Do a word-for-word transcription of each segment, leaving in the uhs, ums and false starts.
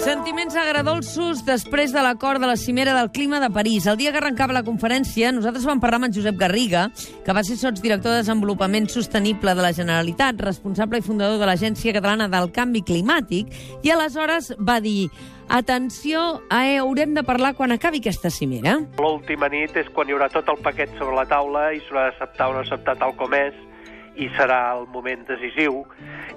Sentiments agradolços després de l'acord de la Cimera del Clima de París. El dia que arrencava la conferència, nosaltres vam parlar amb en Josep Garriga, que va ser sotsdirector de Desenvolupament Sostenible de la Generalitat, responsable i fundador de l'Agència Catalana del Canvi Climàtic, i aleshores va dir: atenció, eh, haurem de parlar quan acabi aquesta cimera. L'última nit és quan hi haurà tot el paquet sobre la taula i s'haurà d'acceptar o no acceptar tal com és, i serà el moment decisiu,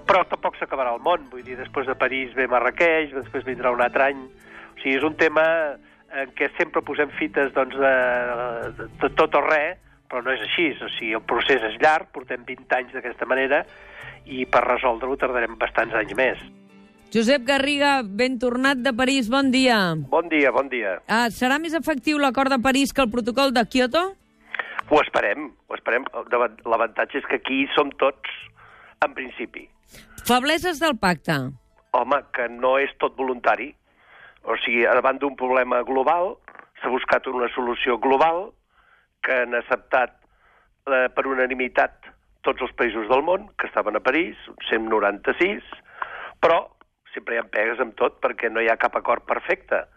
però tampoc s'acabarà el món. Vull dir, després de París ve Marrakeix, després vindrà un altre any. O sigui, és un tema en què sempre posem fites doncs, de, de, de tot o res, però no és així. O sigui, el procés és llarg, portem vint anys d'aquesta manera, i per resoldre-ho tardarem bastants anys més. Josep Garriga, ben tornat de París, bon dia. Bon dia, bon dia. Uh, serà més efectiu l'acord de París que el protocol de Kyoto? Ho esperem, ho esperem. L'avantatge és que aquí som tots, en principi. Febleses del pacte. Home, que no és tot voluntari. O sigui, davant d'un problema global, s'ha buscat una solució global que han acceptat eh, per unanimitat tots els països del món, que estaven a París, cent noranta-sis, però sempre hi ha pegues amb tot perquè no hi ha cap acord perfecte.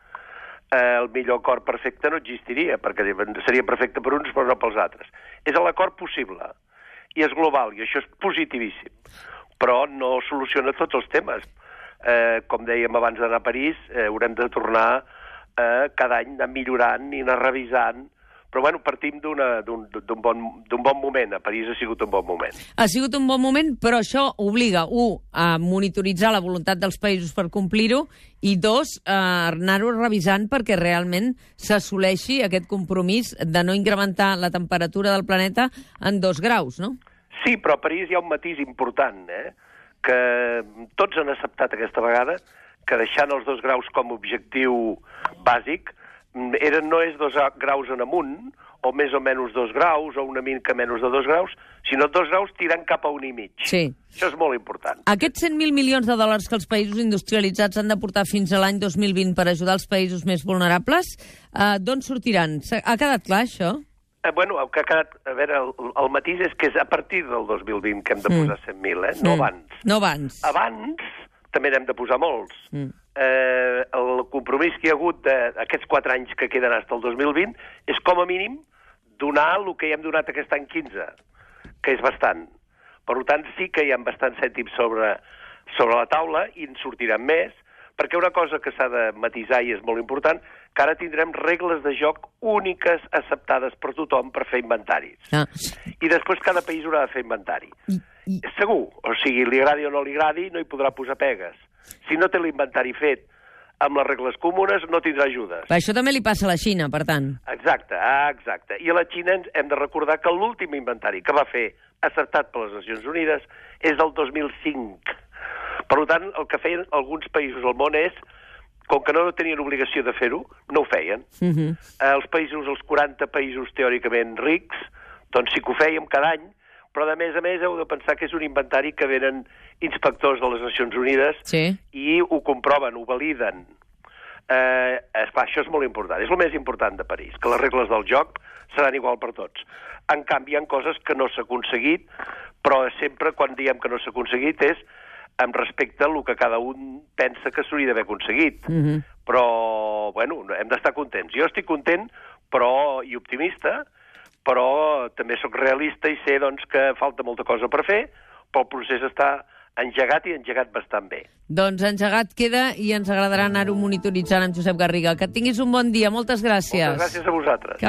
Eh, el millor acord perfecte no existiria, perquè seria perfecte per uns però no pels altres. És l'acord possible, i és global, i això és positivíssim, però no soluciona tots els temes. Eh, com dèiem abans d'anar a París, eh, haurem de tornar eh, cada any anar millorant i anar revisant, però bueno, partim d'un bon, d'un bon moment. A París ha sigut un bon moment. Ha sigut un bon moment, però això obliga, un, a monitoritzar la voluntat dels països per complir-ho, i dos, a anar-ho revisant perquè realment s'assoleixi aquest compromís de no incrementar la temperatura del planeta en dos graus, no? Sí, però a París hi ha un matís important, eh? Que tots han acceptat aquesta vegada que deixant els dos graus com a objectiu bàsic, Era, no és dos graus en amunt, o més o menys dos graus, o una mica menys de dos graus, sinó dos graus tirant cap a un i mig. Sí. Això és molt important. Aquests cent mil milions de dòlars que els països industrialitzats han de portar fins a l'any dos mil vint per ajudar els països més vulnerables, eh, d'on sortiran? Ha quedat clar, això? Eh, bueno, el que ha quedat... A veure, el, el matís és que és a partir del dos mil vint que hem de posar mm. cent mil, eh? No mm. abans. No abans. Abans també n'hem de posar molts. Mm. Eh, el compromís que hi ha hagut d'aquests quatre anys que queden fins al dos mil vint és com a mínim donar el que hi hem donat aquest any quinze, que és bastant. Per tant, sí que hi ha bastants cèntims sobre, sobre la taula i en sortiran més, perquè una cosa que s'ha de matisar i és molt important, que ara tindrem regles de joc úniques acceptades per tothom per fer inventaris. Ah. I després cada país haurà de fer inventari. I, i... Segur, o sigui, li agradi o no li agradi, no hi podrà posar pegues. Si no té l'inventari fet amb les regles comunes, no tindrà ajudes. Això també li passa a la Xina, per tant. Exacte, exacte. I a la Xina hem de recordar que l'últim inventari que va fer, acceptat per les Nacions Unides, és del dos mil cinc. Per tant, el que feien alguns països al món és, com que no tenien obligació de fer-ho, no ho feien. Uh -huh. Els països, els quaranta països teòricament rics, doncs sí que ho fèiem cada any, però de més a més heu de pensar que és un inventari que venen inspectors de les Nacions Unides sí. i ho comproven, ho validen. Eh, esclar, això és molt important. És el més important de París, que les regles del joc seran igual per tots. En canvi, hi ha coses que no s'ha aconseguit, però sempre quan diem que no s'ha aconseguit és amb respecte a el que cada un pensa que s'hauria d'haver aconseguit. Uh -huh. Però, bueno, hem d'estar contents. Jo estic content però i optimista, però també sóc realista i sé doncs, que falta molta cosa per fer, però el procés està engegat i engegat bastant bé. Doncs engegat queda i ens agradarà anar-ho monitoritzant amb Josep Garriga. Que tinguis un bon dia. Moltes gràcies. Moltes gràcies a vosaltres. Que